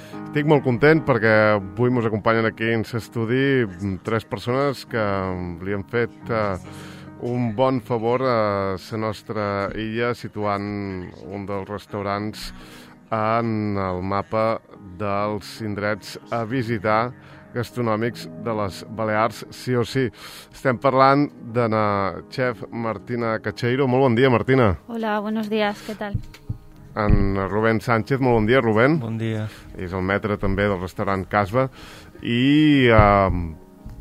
Estic molt content perquè avui ens acompanyen aquí en l'estudi 3 persones que li han fet un bon favor a la nostra illa situant un dels restaurants en el mapa dels indrets a visitar gastronòmics de les Balears, sí o sí. Estem parlant de la chef Martina Cacheiro. Molt bon dia, Martina. Hola, buenos días, ¿qué tal? En Rubén Sánchez, molt bon dia, Rubén. Bon dia. És el maître també del restaurant Casba. I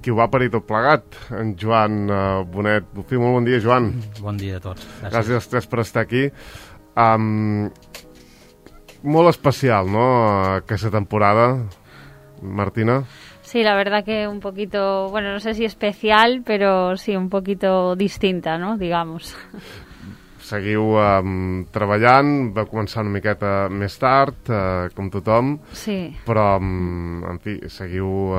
qui ho va parir tot plegat, en Joan Bonet. Molt bon dia, Joan. Bon dia a tots. Gràcies als 3 per estar aquí. Molt especial, ¿no?, aquesta temporada, Martina. Sí, la verdad que un poquito, bueno, no sé si especial, pero sí un poquito distinta, ¿no?, digamos. Seguiu treballant, va començar una miqueta més tard, com tothom, sí. Però, en fi, seguiu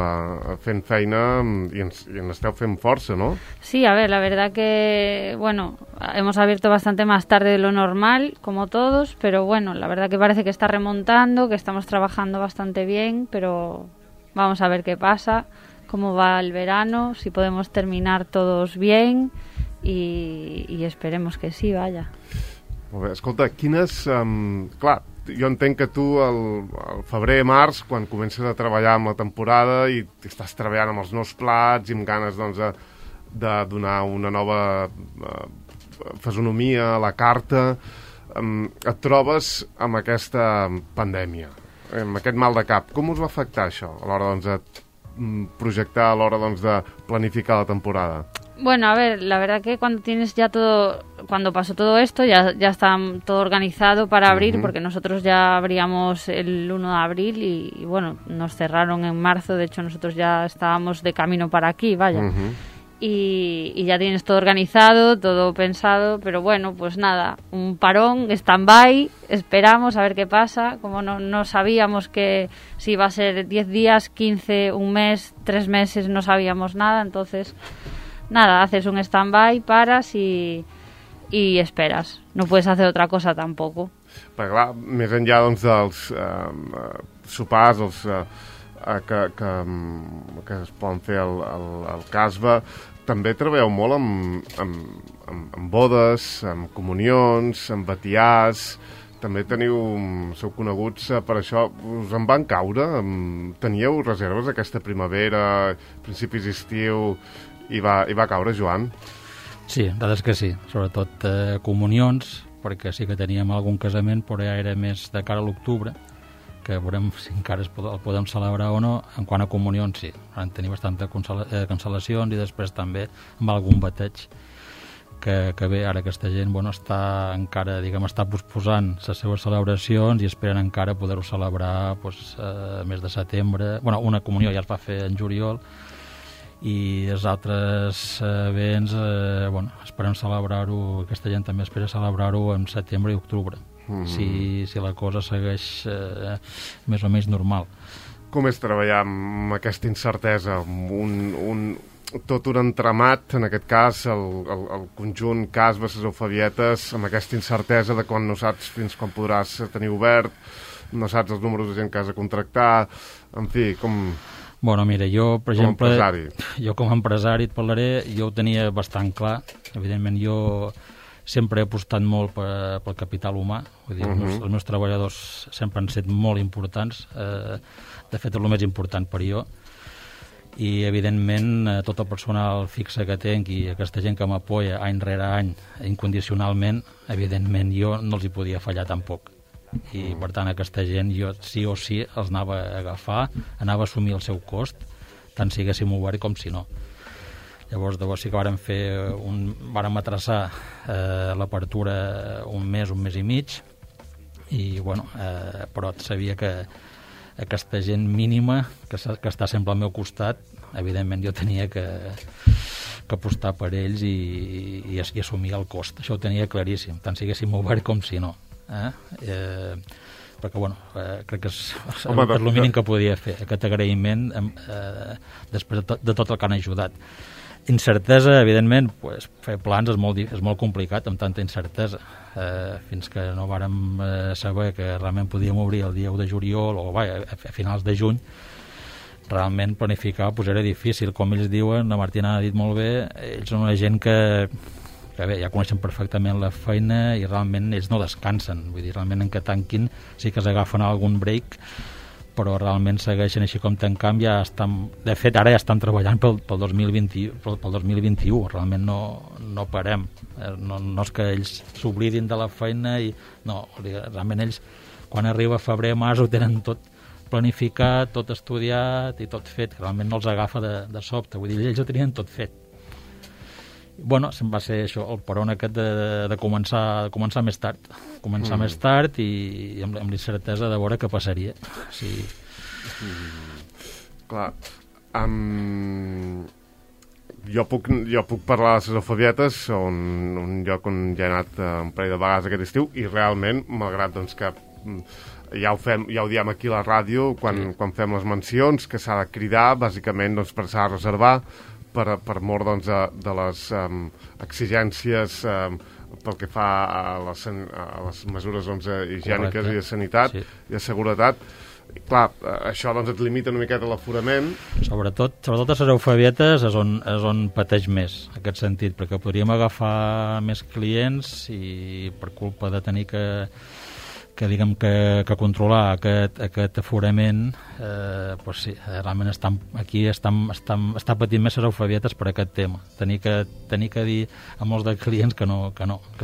fent feina i en esteu fent força, ¿no? Sí, a ver, la verdad que, bueno, hemos abierto bastante más tarde de lo normal, como todos, pero bueno, la verdad que parece que está remontando, que estamos trabajando bastante bien, pero vamos a ver qué pasa, cómo va el verano, si podemos terminar todos bien y esperemos que sí, vaja. Molt bé, escolta, quines... clar, jo entenc que tu al febrer-març, quan comences a treballar amb la temporada i estàs treballant amb els nous plats i amb ganes, doncs, de donar una nova fisonomia a la carta, et trobes amb aquesta pandèmia, amb aquest mal de cap. Com us va afectar això a l'hora, doncs, de projectar, a l'hora, doncs, de planificar la temporada? Bueno, a ver, la verdad que cuando tienes ya todo, cuando pasó todo esto, ya está todo organizado para abrir, porque nosotros ya abríamos el 1 de abril y bueno, nos cerraron en marzo, de hecho nosotros ya estábamos de camino para aquí, vaya. Y ya tienes todo organizado, todo pensado, pero bueno, pues nada, un parón, stand-by, esperamos a ver qué pasa, como no sabíamos que si iba a ser 10 días, 15, un mes, 3 meses, no sabíamos nada, entonces... Nada, haces un stand-by, paras y esperas. No puedes hacer otra cosa tampoco. Perquè clar, més enllà, doncs, dels sopars que es poden fer al Casba, també treballeu molt amb bodes, amb comunions, amb batiars. També sou coneguts per això. Us en van caure? Teníeu reserves aquesta primavera, principis d'estiu... I va caure, Joan? Sí, la veritat és que sí. Sobretot comunions, perquè sí que teníem algun casament, però ja era més de cara a l'octubre, que veurem si encara el podem celebrar o no. En quant a comunions, sí. Van tenir bastanta cancel·lacions i després també amb algun bateig que bé, ara aquesta gent està encara, està posposant les seves celebracions i esperen encara poder-ho celebrar mes de setembre. Bueno, una comunió ja es va fer en juliol, i els altres béns, esperem celebrar-ho, aquesta gent també espera celebrar-ho en setembre i octubre, si la cosa segueix més o menys normal. Com és treballar amb aquesta incertesa, tot un entramat, en aquest cas, el conjunt Casba, les Eufebietes, amb aquesta incertesa de quan no saps fins quan podràs tenir obert, no saps els números de gent que has de contractar, en fi, com... Bueno, mira, jo, per exemple, com a empresari et parlaré, jo ho tenia bastant clar. Evidentment, jo sempre he apostat molt pel capital humà. Vull dir, els meus treballadors sempre han estat molt importants. De fet, és el més important per jo. I, evidentment, tot el personal fixe que tinc i aquesta gent que m'apoya any rere any incondicionalment, evidentment, jo no els hi podia fallar tampoc. I per tant aquesta gent jo sí o sí els anava a agafar, anava a assumir el seu cost, tant si haguéssim obert com si no. Llavors sí que vàrem atraçar l'apertura un mes i mig i però sabia que aquesta gent mínima que està sempre al meu costat, evidentment jo tenia que apostar per ells i assumir el cost. Això ho tenia claríssim, tant si haguéssim obert com si no. Perquè crec que és el mínim que podia fer, aquest agraïment després de tot el que han ajudat. Incertesa, evidentment, pues, fer plans és molt complicat amb tanta incertesa. Fins que no vàrem saber que realment podíem obrir el dia 1 de juliol o a finals de juny, realment planificar pues, era difícil. Com ells diuen, la Martina ha dit molt bé, ells són una gent que bé, ja coneixen perfectament la feina i realment ells no descansen. Vull dir, realment en que tanquin sí que s'agafen algun break, però realment segueixen així com tancam, de fet ara ja estan treballant pel 2021, realment no parem, no és que ells s'oblidin de la feina no, realment ells quan arriba febrer, març ho tenen tot planificat, tot estudiat i tot fet, que realment no els agafa de sobte, vull dir, ells ho tenien tot fet. Bueno, se'm va ser això, el peron aquest de començar més tard. Més tard i amb l'incertesa de veure què passaria. Sí. Clar. Jo puc parlar de les Alfabietes, un lloc on ja he anat un parell de vegades aquest estiu, i realment, malgrat doncs, que ja ho diem aquí a la ràdio, quan fem les mencions, que s'ha de cridar, bàsicament, doncs, per s'ha de reservar, per mort doncs, de les exigències pel que fa a les mesures doncs, higièniques. Correcte. I de sanitat, sí. I de seguretat. I, clar, això doncs, et limita una miqueta l'aforament. Sobretot a les Alfabietes és on pateix més, en aquest sentit, perquè podríem agafar més clients i per culpa de tenir que controlar aquest aforament, pues sí, realment està patint més les Alfabietes per aquest tema. Tenir que dir a molts de clients que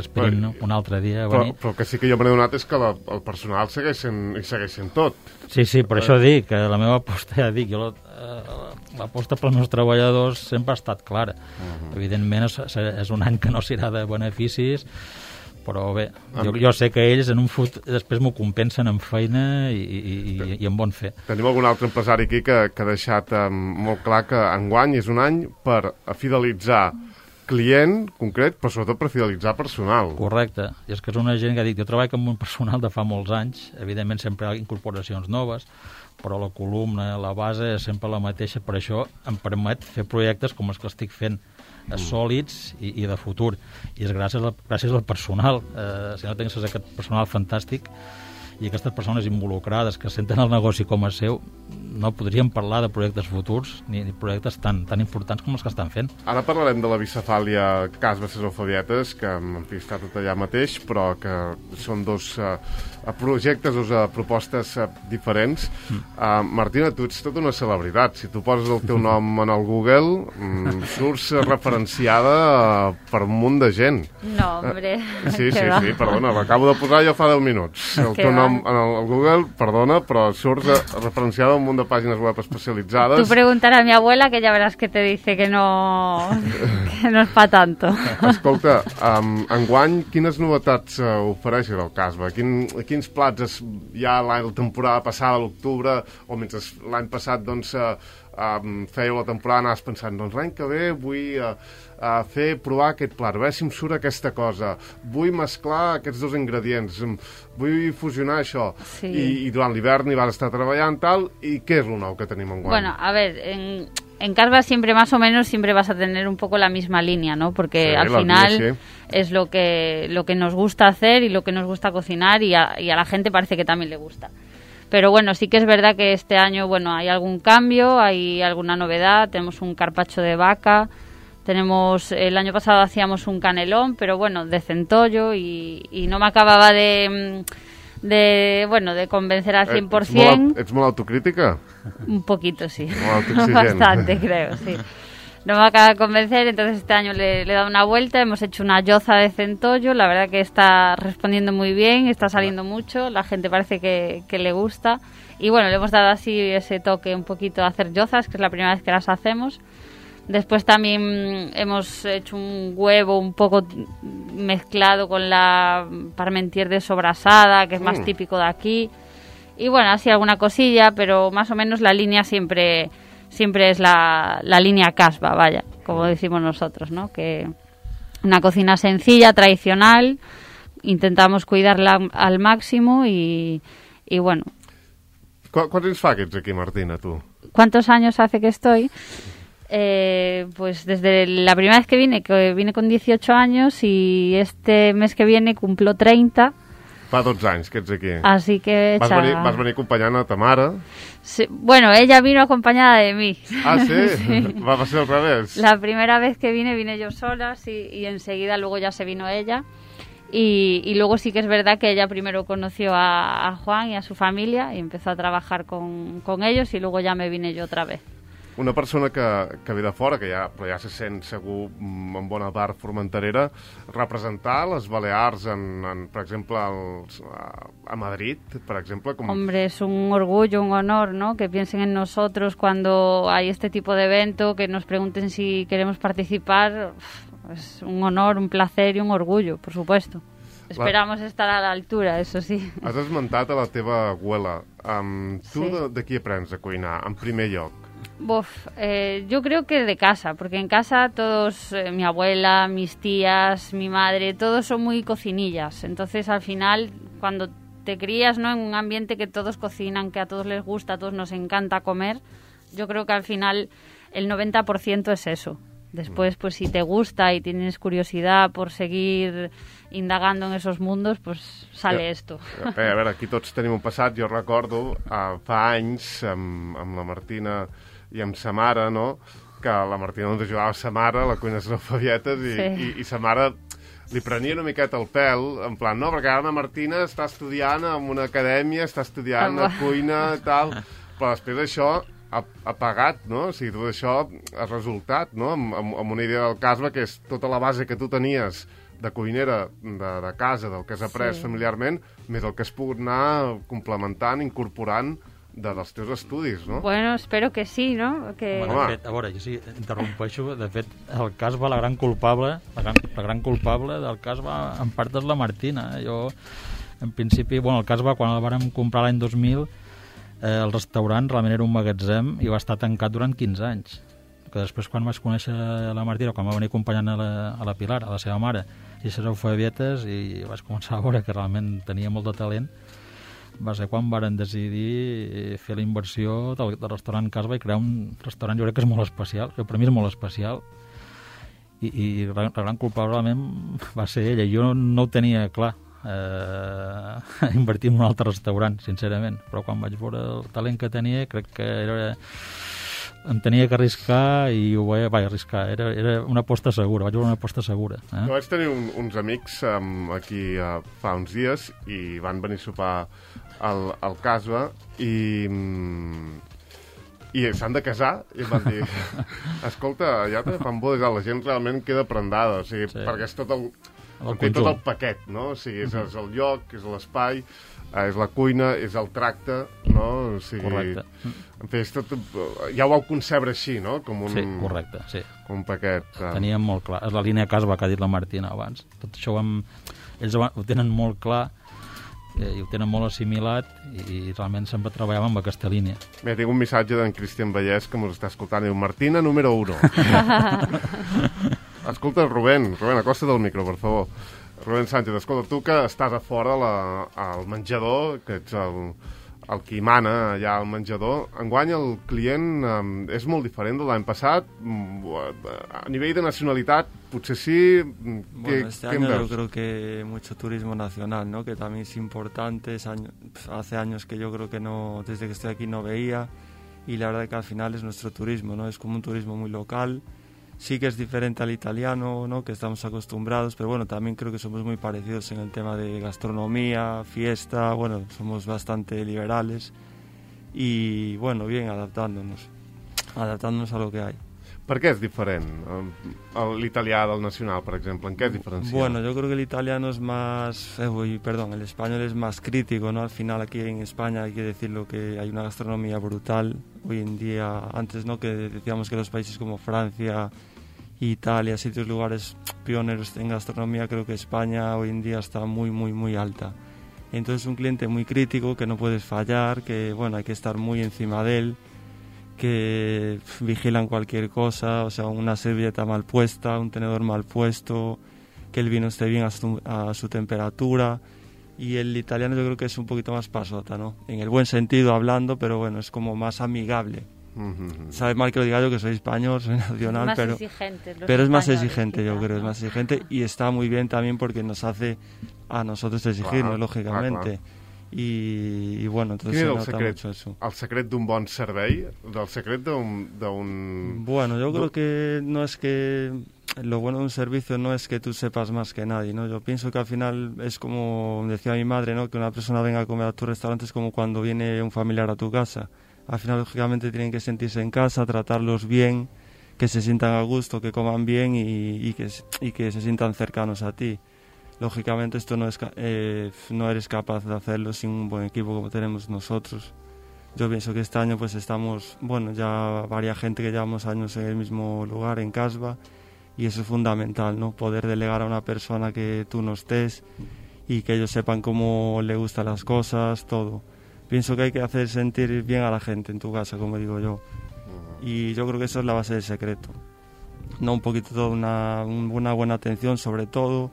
esperin un altre dia a venir. Però el que sí que jo m'he adonat és que el personal segueix sent tot. Sí, per això dic que la meva aposta, ja dic, l'aposta pels meus treballadors sempre ha estat clara. Evidentment és un any que no serà de beneficis, però bé, jo sé que ells en un futur després m'ho compensen amb feina i amb bon fer. Tenim algun altre empresari aquí que ha deixat molt clar que enguany és un any per fidelitzar client concret, però sobretot per fidelitzar personal. Correcte, i és que és una gent que ha dit, jo treballo amb un personal de fa molts anys, evidentment sempre hi ha incorporacions noves, però la columna, la base és sempre la mateixa, per això em permet fer projectes com els que estic fent, sòlids i de futur, i és gràcies al personal. Si no tingués aquest personal fantàstic i aquestes persones involucrades que senten el negoci com a seu, no podríem parlar de projectes futurs ni projectes tan importants com els que estan fent. Ara parlarem de la bicefàlia Casba les Alfabietes, que en fi està tot allà mateix, però que són dos projectes, dos propostes diferents. Martina, tu ets tota una celebritat. Si tu poses el teu nom en el Google, surts referenciada per un munt de gent. No, hombre. Sí, perdona, l'acabo de posar jo fa 10 minuts. El teu nom en el Google, perdona, però surts referenciada a un munt de pàgines web especialitzades. Tú preguntarás a mi abuela, que ya verás que te dice que no es pa tanto. Escolta, enguany, quines novetats ofereixes al Casba? Quins plats ja la temporada passada, a l'octubre, o mentre l'any passat doncs, fèieu la temporada, anaves pensant, doncs l'any que ve vull provar aquest plat, a veure si em surt aquesta cosa, vull mesclar aquests dos ingredients, vull fusionar això. Sí. I durant l'hivern hi vas estar treballant tal, i què és lo nou que tenim enguany? Bueno, a ver, en Casba siempre más o menos siempre vas a tener un poco la misma línea, ¿no? Porque sí, al final es lo que nos gusta hacer y lo que nos gusta cocinar y a la gente parece que también le gusta. Pero bueno, sí que es verdad que este año, bueno, hay algún cambio, hay alguna novedad, tenemos un carpaccio de vaca, el año pasado hacíamos un canelón, pero bueno, de centollo y no me acababa de convencer al 100%. ¿Ets molt autocrítica? Un poquito, sí. Bastante, creo, sí. No me acaba de convencer, entonces este año le he dado una vuelta, hemos hecho una yoza de centollo, la verdad que está respondiendo muy bien, está saliendo mucho, la gente parece que le gusta, y bueno, le hemos dado así ese toque un poquito a hacer yozas, que es la primera vez que las hacemos. Después también hemos hecho un huevo un poco mezclado con la parmentier de sobrasada, que es más típico de aquí, y bueno, así alguna cosilla, pero más o menos la línea siempre es la línea Casba, vaya, como decimos nosotros, ¿no? Que una cocina sencilla, tradicional, intentamos cuidarla al máximo y bueno. ¿Cuántos anys fa que ets aquí, Martina, tu? ¿Cuántos años hace que estoy? Pues desde la primera vez que vine con 18 años y este mes que viene cumplo 30. Fa 12 anys que ets aquí. Así que... Vas venir acompanyant a ta mare? Sí, bueno, ella vino acompañada de mí. Ah, ¿sí? Sí. Va a ser al revés. La primera vez que vine yo sola, sí, y enseguida luego ya se vino ella. Y luego sí que es verdad que ella primero conoció a Juan y a su familia y empezó a trabajar con ellos y luego ya me vine yo otra vez. Una persona que ve de fora, però ja se sent segur en bona part formenterera, representar les Balears, per exemple, a Madrid, per exemple... Hombre, es un orgullo, un honor, ¿no? Que piensen en nosotros cuando hay este tipo de evento, que nos pregunten si queremos participar. Es un honor, un placer y un orgullo, por supuesto. Esperamos estar a la altura, eso sí. Has esmentat a la teva abuela. Tu de qui aprens a cuinar, en primer lloc? Yo creo que de casa, porque en casa todos, mi abuela, mis tías, mi madre, todos son muy cocinillas. Entonces, al final, cuando te crías, ¿no?, en un ambiente que todos cocinan, que a todos les gusta, a todos nos encanta comer, yo creo que al final el 90% es eso. Después, pues si te gusta y tienes curiosidad por seguir indagando en esos mundos, pues sale esto. A veure, aquí tots tenim un passat. Jo recordo fa anys amb la Martina i amb sa mare, no?, que la Martina ens ajudava a sa mare a la cuina analfabietes i sa mare li prenia una miqueta el pèl, en plan, no, perquè ara la Martina està estudiant en una acadèmia, està estudiant a cuina i tal, però després d'això ha pagat, no? O sigui, tot això ha resultat, no?, amb una idea del Casba, que és tota la base que tu tenies de cuinera de casa, del que has après familiarment, més el que has pogut anar complementant, incorporant dels teus estudis, no? Bueno, espero que sí, no? Que... Bueno, de fet, a veure, jo sí, interrompeixo, de fet, el cas va la gran culpable del cas va en part és la Martina. Jo, en principi, bueno, el cas va quan el vàrem comprar l'any 2000, el restaurant realment era un magatzem i va estar tancat durant 15 anys. Que després, quan vaig conèixer la Martina, quan va venir acompanyant a la Pilar, a la seva mare, i les alfabietes, i vaig començar a veure que realment tenia molt de talent, va ser quan varen decidir fer la inversió del restaurant Casba i crear un restaurant, jo crec que és molt especial, que per mi és molt especial, i la gran culpable realment va ser ella. Jo no ho tenia clar, invertir en un altre restaurant, sincerament, però quan vaig veure el talent que tenia, crec que em tenia que arriscar i ho vaig arriscar. Era una aposta segura, vaig veure una aposta segura. Jo vaig tenir uns amics aquí fa uns dies i van venir a sopar al Casba i s'han de casar i em van dir, escolta, ja te fan bodes, la gent realment queda prendada, o sigui, perquè és tot el paquet, no? O sigui, és el lloc, és l'espai, és la cuina, és el tracte, no? O sigui, correcte. En fi, ja ho vau concebre així, no? Com un, sí, correcte, sí. Com un paquet. Teníem molt clar. És la línia Casba que ha dit la Martina abans. Tot això ells ho tenen molt clar i ho tenen molt assimilat i realment sempre treballàvem amb aquesta línia. Bé, tinc un missatge d'en Cristian Vallès que mos està escoltant. Diu, Martina, número 1. Escolta, Rubén, acosta't del micro, per favor. Rubén Sánchez, escolta, tu que estàs a fora al menjador, que ets el qui mana allà al menjador, enguany el client és molt diferent de l'any passat. A nivell de nacionalitat, potser sí. Bueno, este año yo creo que mucho turismo nacional, ¿no? Que también es importante. Hace años que yo creo que no, desde que estoy aquí no veía, y la verdad que al final es nuestro turismo, ¿no? Es como un turismo muy local. Sí que es diferente al italiano, ¿no?, que estamos acostumbrados, pero bueno, también creo que somos muy parecidos en el tema de gastronomía, fiesta, bueno, somos bastante liberales y, bueno, bien, adaptándonos a lo que hay. Per què és diferent l'italià del nacional, per exemple? ¿En qué es diferencial? Bueno, yo creo que el italiano es más... el español es más crítico, ¿no? Al final aquí en España hay que decirlo que hay una gastronomía brutal. Hoy en día, antes, ¿no?, que decíamos que los países como Francia, Italia, sitios, lugares pioneros en gastronomía, creo que España hoy en día está muy, muy, muy alta. Entonces un cliente muy crítico, que no puedes fallar, que, bueno, hay que estar muy encima de él, que vigilan cualquier cosa, o sea, una servilleta mal puesta, un tenedor mal puesto, que el vino esté bien a su temperatura. Y el italiano yo creo que es un poquito más pasota, ¿no? En el buen sentido hablando, pero bueno, es como más amigable. sabe mal que lo diga yo, que soy español, soy nacional, más pero es más exigente, yo creo, es más exigente, y está muy bien también porque nos hace a nosotros exigirnos, lògicamente. I bueno, entonces se nota mucho eso. El secret d'un bon servei? Del secret d'un... Bueno, yo creo que no es que... Lo bueno de un servicio no es que tú sepas más que nadie, ¿no? Yo pienso que al final es como decía mi madre, ¿no? Que una persona venga a comer a tu restaurante es como cuando viene un familiar a tu casa. Al final, lógicamente, tienen que sentirse en casa, tratarlos bien, que se sientan a gusto, que coman bien y que se sientan cercanos a ti. Lógicamente esto no eres capaz de hacerlo sin un buen equipo como tenemos nosotros. Yo pienso que este año pues estamos, bueno, ya varias gente que llevamos años en el mismo lugar, en Casba, y eso es fundamental, ¿no? Poder delegar a una persona que tú no estés y que ellos sepan cómo le gustan las cosas, todo. Pienso que hay que hacer sentir bien a la gente en tu casa, como digo yo. Y yo creo que eso es la base del secreto. No un poquito todo, una buena atención sobre todo,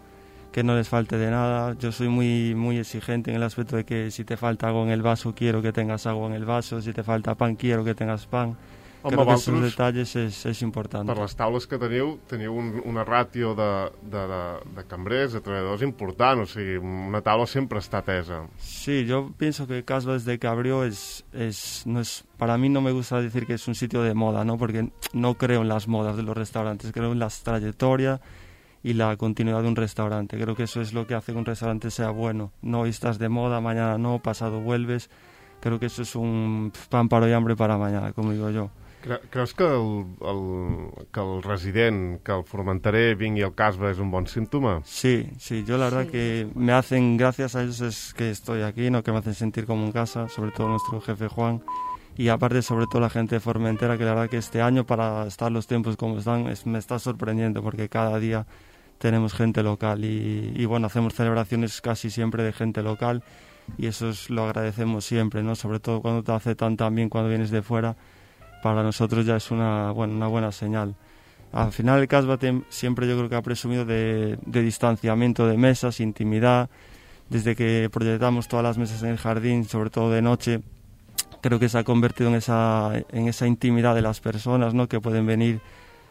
que no les falte de nada. Yo soy muy exigente en el aspecto de que si te falta agua en el vaso, quiero que tengas agua en el vaso. Si te falta pan, quiero que tengas pan. Creo que esos detalles és important. Per les taules que teniu una ràtio de cambrers, de treballadors important, o sigui, una taula sempre està atesa. Sí, yo pienso que Casba desde que abrió para mí no me gusta decir que es un sitio de moda, ¿no? Porque no creo en las modas de los restaurantes, creo en la trayectoria y la continuidad de un restaurante. Creo que eso es lo que hace que un restaurante sea bueno. No hoy estás de moda, mañana no, pasado vuelves. Creo que eso es un pan para hoy, hambre para mañana, como digo yo. Creus que el resident, que el formenterer vingui al Casba és un bon símptoma? Sí, yo la verdad que me hacen, gracias a ellos es que estoy aquí, ¿no? Que me hacen sentir como en casa, sobre todo nuestro jefe Juan, y aparte sobre todo la gente de Formentera, que la verdad que este año, para estar los tiempos como están, me está sorprendiendo porque cada día tenemos gente local y bueno, hacemos celebraciones casi siempre de gente local y eso lo agradecemos siempre, ¿no? Sobre todo cuando te aceptan tan bien cuando vienes de fuera. Para nosotros ya es una buena señal. Al final el Casba siempre yo creo que ha presumido de distanciamiento de mesas, intimidad. Desde que proyectamos todas las mesas en el jardín, sobre todo de noche, creo que se ha convertido en esa intimidad de las personas, ¿no? Que pueden venir,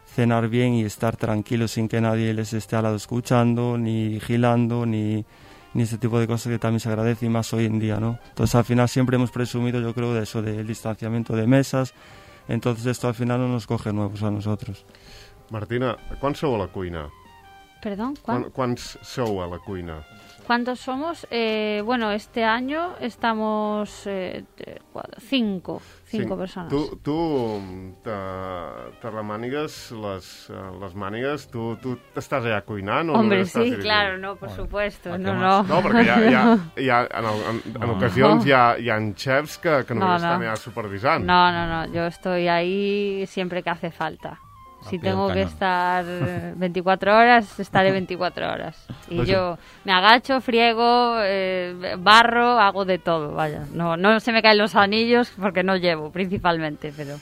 cenar bien y estar tranquilos sin que nadie les esté al lado escuchando, ni vigilando, ni ese tipo de cosas que también se agradece y más hoy en día, ¿no? Entonces al final siempre hemos presumido, yo creo, de eso, del distanciamiento de mesas. Entonces esto al final no nos coge nuevos a nosotros. Martina, ¿cuántos sou a la cuina? Perdón, ¿Cuántos sou a la cuina? ¿Cuántos somos? Bueno, este año estamos 5 personas. Tu te remànigues les mànigues, tu t'estàs allà cuinant? Hombre, sí, claro, no, por supuesto. No, perquè en ocasions hi ha chefs que només estan allà supervisant. No, yo estoy ahí siempre que hace falta. Si tengo que estar 24 horas, estaré 24 horas. Y yo me agacho, friego, barro, hago de todo, vaya. No se me caen los anillos porque no llevo, principalmente, pero...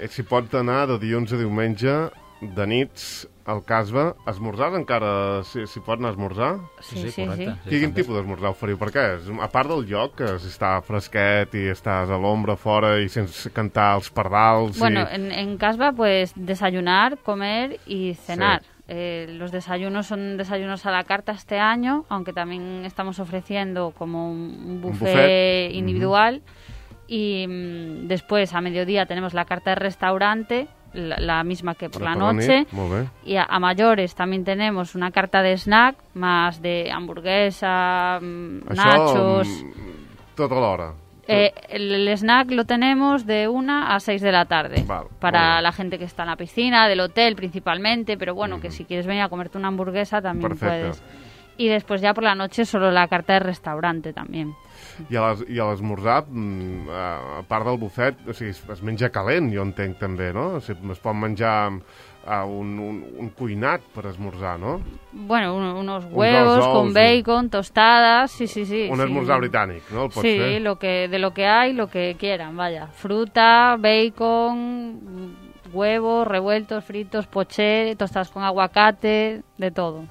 Si pots anar de dilluns a diumenge, de nits, al Casba, esmorzars encara, si pot anar a esmorzar? Sí. Quin tipus d'esmorzar oferiu? Per què? A part del lloc, que si està fresquet i estàs a l'ombra fora i sense cantar els pardals... Bueno, en Casba, pues, desayunar, comer y cenar. Sí. Los desayunos son desayunos a la carta este año, aunque también estamos ofreciendo como un buffet individual. Y después, a mediodía, tenemos la carta de restaurante, la misma que por la noche. Y a mayores también tenemos una carta de snack, más de hamburguesa, nachos... Tota l'hora. El snack lo tenemos de 1 a 6 de la tarde. Para la gente que está en la piscina, del hotel principalmente, pero bueno, que si quieres venir a comerte una hamburguesa también puedes. Y después ya por la noche solo la carta de restaurante también. I a l'esmorzar, a part del bufet, o sigui, es menja calent, jo entenc també, no? O sigui, es pot menjar un cuinat per esmorzar, ¿no? Bueno, unos huevos con bacon, tostadas, sí. Un esmorzar británic, ¿no? El pots fer? De lo que hay, lo que quieran, vaya. Fruta, bacon, huevos revueltos, fritos, poché, tostadas con aguacate, de todo.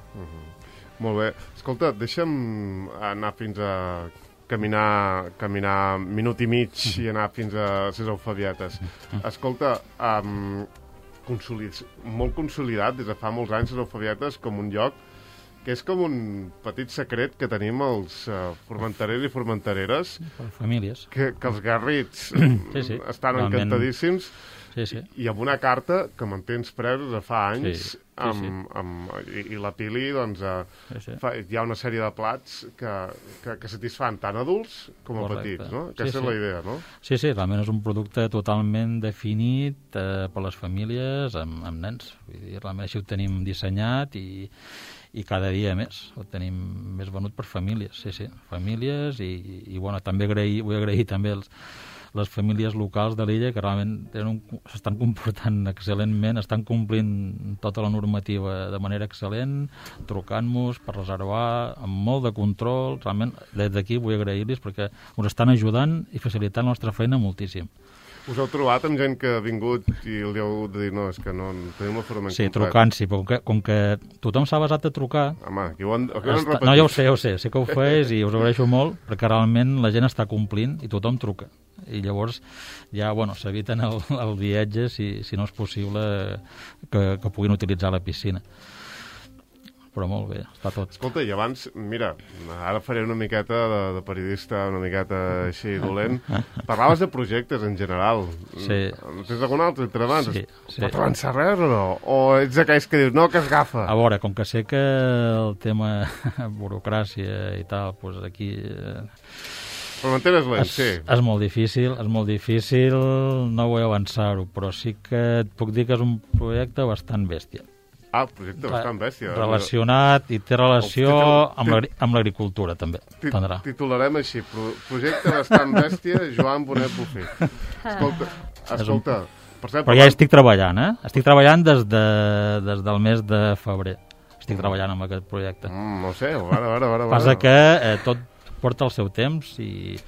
Molt bé. Escolta, deixa'm anar fins a caminar minut i mig i anar fins a les Alfabietes. Escolta, molt consolidat des de fa molts anys les Alfabietes com un lloc que és com un petit secret que tenim els formenterers i formentereres. Famílies. Que els garrits estan realment encantadíssims. Sí. I amb una carta que mantens presos de fa anys i la Pili doncs, hi ha una sèrie de plats que satisfan tant adults com a petits, no? Aquesta és la idea, no? Sí, realment és un producte totalment definit per les famílies amb nens. Vull dir, realment així ho tenim dissenyat i cada dia més. Ho tenim més venut per famílies, famílies i bueno, també vull agrair també les famílies locals de l'illa que realment s'estan comportant excel·lentment, estan complint tota la normativa de manera excel·lent, trucant-nos per reservar, amb molt de control. Realment, des d'aquí vull agrair-los perquè ens estan ajudant i facilitant la nostra feina moltíssim. Us heu trobat amb gent que ha vingut i li heu de dir, no, és que no tenim l'aforament complet? Sí, trucant, sí, però com que tothom s'ha basat a trucar... Home, aquí ho han repetit. No, ja ho sé que ho fes i us ho agraeixo molt, perquè realment la gent està complint i tothom truca. I llavors ja, bueno, s'eviten el viatge si no és possible que puguin utilitzar la piscina. Però molt bé, està tot. Escolta, i abans, mira, ara faré una miqueta de periodista, una miqueta així dolent. Parlaves de projectes en general. Sí. Tens algun altre entre mans? Sí. Pot avançar res o no? O ets aquells que dius, no, que es agafa? A veure, com que sé que el tema burocràcia i tal, doncs aquí... Però m'entenes lent, sí. És molt difícil, no vull avançar-ho, però sí que et puc dir que és un projecte bastant bèstia. Ah, projecte bastant bèstia. Relacionat i té relació amb l'agricultura, també. Titularem així, projecte bastant bèstia, Joan Bonet Bufí. Escolta... Però ja estic treballant, Estic treballant des del mes de febrer. Estic treballant amb aquest projecte. No sé, a veure. Passa que tot porta el seu temps i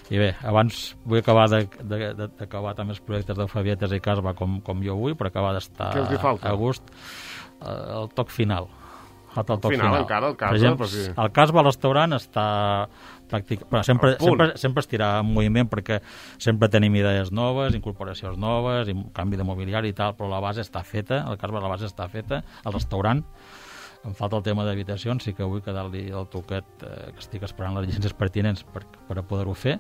bé, abans vull acabar d'acabar també els projectes d'Alfabietes i Casba com jo vull, per acabar d'estar a gust. El toc final. El final encara, el Casba? Per exemple, el Casba al restaurant està sempre estirà en moviment perquè sempre tenim idees noves, incorporacions noves, canvi de mobiliari i tal, però la base està feta, el Casba la base està feta, el restaurant em falta el tema d'habitacions, sí que vull quedar-li el toquet que estic esperant les llicències pertinents per a poder-ho fer.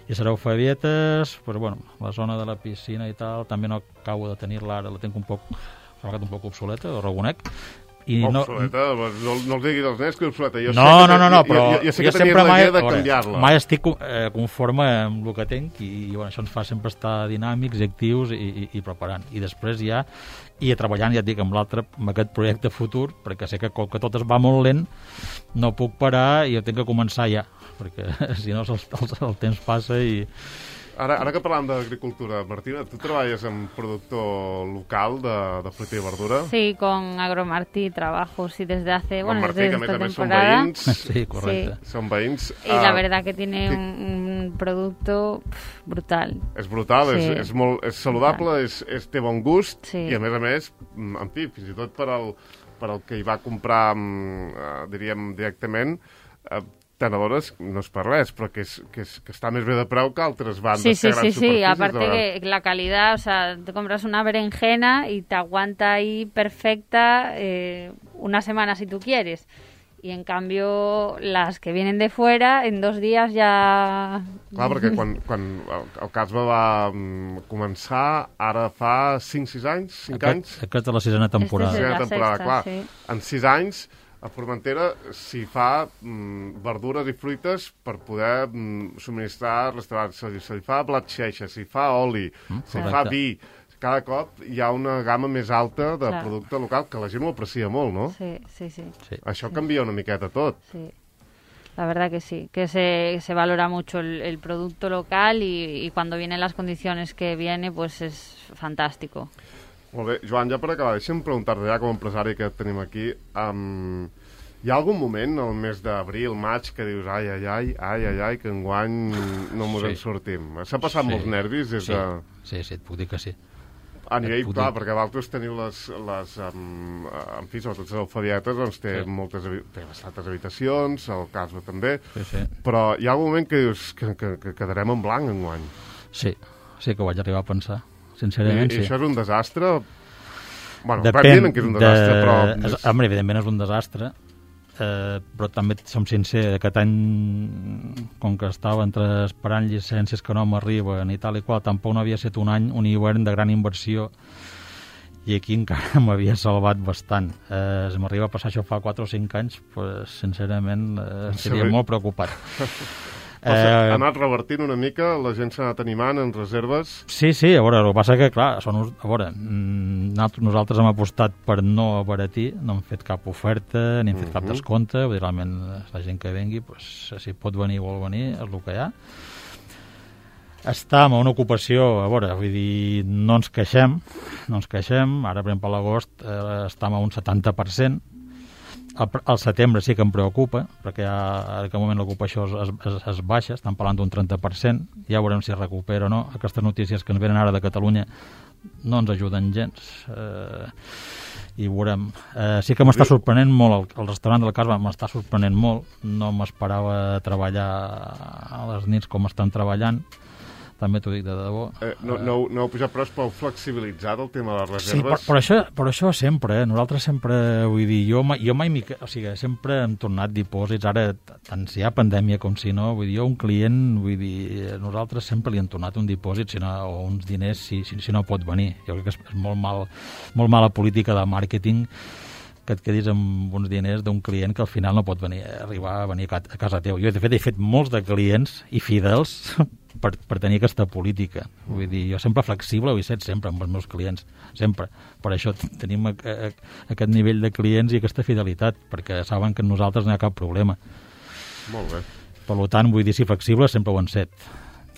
I serà Alfabietes, doncs, bueno, la zona de la piscina i tal, també no acabo de tenir-la ara, la tinc un poc obsoleta, ho reconec. Obsoleta? No els diguis als nens que és obsoleta. No, però jo sé que tenies la idea de canviar-la. Mai estic conforme amb el que tenc i bueno, això ens fa sempre estar dinàmics i actius i preparant. I després ja treballant, ja et dic, amb aquest projecte futur, perquè sé que com que tot es va molt lent, no puc parar i jo tinc que començar ja, perquè si no el temps passa i... Ara que parlàvem d'agricultura, Martina, tu treballes amb productor local de fruita i verdura? Sí, con Agromartí trabajo, sí, desde hace, bueno, Martí, desde esta temporada. Son veïns. Sí, correcte. Sí. Son veïns. Y la verdad que tiene un producto brutal. És brutal, sí. és saludable, té bon gust, sí. I a més, en fi, fins i tot per al que hi va comprar, diríem, directament, tant a veure, no és per res, però que està més bé de preu que altres bandes sí, que grans superfícies. Sí, aparte que la calidad, o sea, te compras una berenjena y te aguanta ahí perfecta una semana si tú quieres. Y en cambio, las que vienen de fuera, en 2 días ja... Clar, perquè quan el Casba va començar, ara fa 5-6 anys, 5 anys... Aquesta és la 6a temporada. La sexta, clar. Sí. En 6 anys, a Formentera s'hi fa verdures i fruites per poder subministrar restaurants. Se li fa blat xeixa, s'hi fa oli, s'hi fa vi. Cada cop hi ha una gamma més alta de producte local que la gent ho aprecia molt, ¿no? Sí. Això canvia una miqueta tot. Sí. La verdad que sí, que se valora mucho el producto local y cuando vienen las condiciones que viene, pues es fantástico. Molt bé. Joan, ja per acabar, deixa'm preguntar-te ja com a empresari que tenim aquí, hi ha algun moment, al mes d'abril, maig, que dius ai, que enguany no mos en sortim? S'ha passat molts nervis des de... Sí, et puc dir que sí. A nivell, clar, perquè vosaltres teniu en fi, sobretot les alfabietes, doncs té bastantes habitacions, el Casba també, però hi ha un moment que dius que quedarem en blanc enguany. Sí que ho vaig arribar a pensar, sincerament, sí. I això és un desastre? Bueno, depèn que és un desastre, però... Home, evidentment és un desastre, però també som sincers, aquest any, com que estava entre esperant llicències que no m'arriben i tal i qual, tampoc no havia estat un any, un hivern de gran inversió, i aquí encara m'havia salvat bastant. Si m'arriba a passar això fa 4 o 5 anys, pues, sincerament estaria molt preocupat. Ha anat revertint una mica, la gent s'ha anat animant en reserves? Sí, a veure, el que passa que, clar, nosaltres hem apostat per no abaratir, no hem fet cap oferta, ni hem fet cap descompte, vull dir, realment la gent que vengui, pues, si pot venir o vol venir, és el que hi ha. Estàvem a una ocupació, a veure, vull dir, no ens queixem, ara, per exemple, a l'agost estàvem a un 70%, al setembre sí que em preocupa, perquè en aquest moment l'ocupació es baixa, estan parlant d'un 30%, ja veurem si es recupera o no. Aquestes notícies que ens venen ara de Catalunya no ens ajuden gens, i veurem. Sí que m'està sorprenent molt, el restaurant del Casba m'està sorprenent molt, no m'esperava treballar a les nits com estan treballant, també t'ho dic de debò. No heu pujat, però és prou flexibilitzat el tema de les reserves? Sí, però això sempre, nosaltres sempre, vull dir, jo mai o sigui, sempre hem tornat dipòsits, ara, tant si hi ha pandèmia com si no, vull dir, un client, vull dir, nosaltres sempre li hem tornat un dipòsit o uns diners si no pot venir. Jo crec que és molt mala política de màrqueting que et quedis amb uns diners d'un client que al final no pot arribar a venir a casa teu. Jo, de fet, he fet molts de clients i fidels per tenir aquesta política. Vull dir, jo sempre flexible ho he set sempre amb els meus clients, sempre. Per això tenim aquest nivell de clients i aquesta fidelitat, perquè saben que nosaltres no hi ha cap problema. Molt bé. Per tant, vull dir, si flexible sempre ho han set.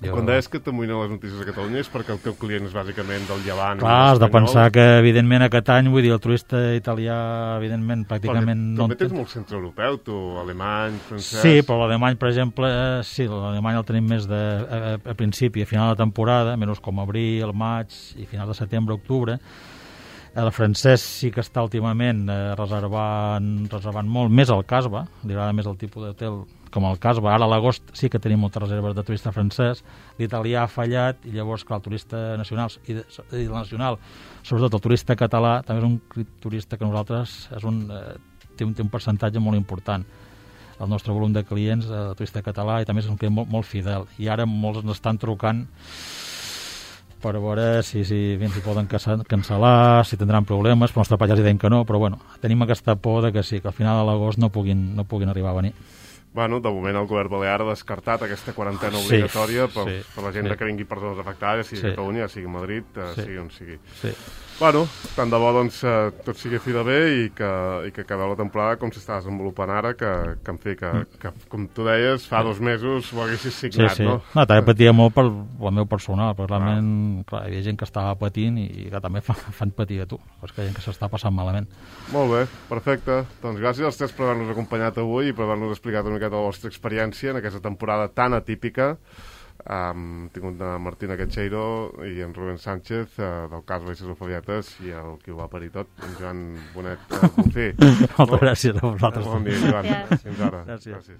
Quan deies que t'amoïnen les notícies a Catalunya és perquè el teu client és bàsicament del Llevant. Clar, has de pensar que, evidentment, aquest any, vull dir, el turista italià, evidentment, pràcticament... Perquè també tens molt centre-europeu, tu, alemany, francès... Sí, però l'alemany, per exemple, sí, l'alemany el tenim més a principi, a final de temporada, menys com abril, maig i final de setembre, octubre. El francès sí que està últimament reservant molt, més al Casba, li agrada més el tipus d'hotel com el Casba. Ara a l'agost sí que tenim moltes reserves de turista francès, l'italià ha fallat i llavors, clar, el turista nacional i el nacional, sobretot el turista català, també és un turista que nosaltres té un percentatge molt important. El nostre volum de clients, el turista català, i també és un client molt fidel. I ara molts ens estan trucant per veure si poden cancel·lar, si tindran problemes, però els nostres ja els diem que no, però bueno, tenim aquesta por de que sí, que al final de l'agost no puguin arribar a venir. Bueno, de moment el govern balear ha descartat aquesta quarantena obligatòria per la gent que vingui per zones afectades, sigui a Catalunya, sigui a Madrid, sigui on sigui. Bueno, tant de bo doncs tot sigui fi de bé i que acabeu la temporada com s'està desenvolupant ara, que en fi, que com tu deies, fa 2 mesos ho haguessis signat, no? No, també patia molt per el meu personal, però realment, clar, hi havia gent que estava patint i que també fan patir a tu, és que hi ha gent que s'està passant malament. Molt bé, perfecte. Doncs gràcies als tres per haver-nos acompanyat avui i per haver-nos explicat una miqueta la vostra experiència en aquesta temporada tan atípica. Hem tingut Martina Quecheiro i en Rubén Sánchez del Casba i les Alfabietes i el qui ho va parir tot, en Joan Bonet Bonfí. Moltes gràcies a vosaltres. Bon dia, Joan. Fins ara. Gràcies.